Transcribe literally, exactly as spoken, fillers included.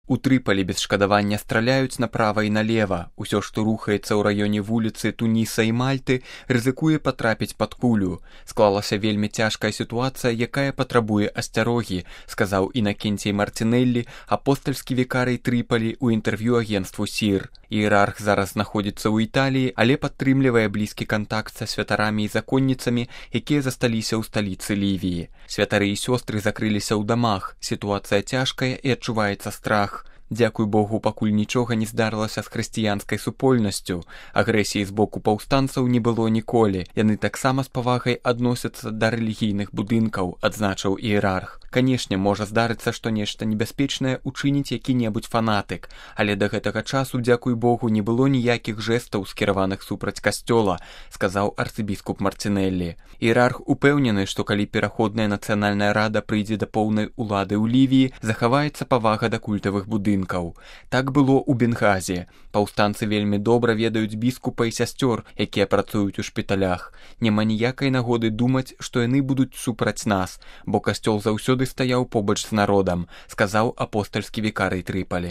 У Трыпалі без шкадавання страляюць направа і налева. Усё, што рухаецца ў раёне вуліцы Туніса і Мальты, рызыкуе патрапіць пад кулю. Склалася вельмі цяжкая сітуацыя, якая патрабуе асцярогі, сказаў Інакенцій Мартинеллі, апостальскі вікарый Трыпалі ў інтэрв'ю агенству СІР. Іерарх зараз знаходзіцца ў Італіі, але падтрымлівае блізкі кантакт са святарамі і законніцамі, якія засталіся ў сталіцы Лівіі. Святары і сёстры закрыліся ў дамах. Сітуацыя цяжкая і адчуваецца страх. Дзякуй Богу, пакуль нічога не здарылася з хрысціянскай супольнасцю. Агрэсіі з боку паўстанцаў не было ніколі. Яны таксама з павагай адносяцца да рэлігійных будынкаў, адзначыў іерарх. Канешне, можа здарыцца, што нешта небяспечнае учыніць які-небудзь фанатык, але да гэтага часу, дзякуй Богу, не было ніякіх жэстаў, скіраваных супраць касцёла, сказаў арцыбіскуп Мартинеллі. Іерарх упэўнены, што калі пераходная нацыянальная рада прыйдзе да поўнай улады ў Лівіі, захаваецца павага да культавых будынкаў. Так было ў Бенгазе. Паўстанцы вельмі добра ведаюць біскупа і сясцёр, якія працуюць у шпіталях. Няма ніякай нагоды думаць, што яны будуць супраць нас, бо касцёл заўсёды стаяў побач з народам, сказаў апостальскі вікарый Трыпалі.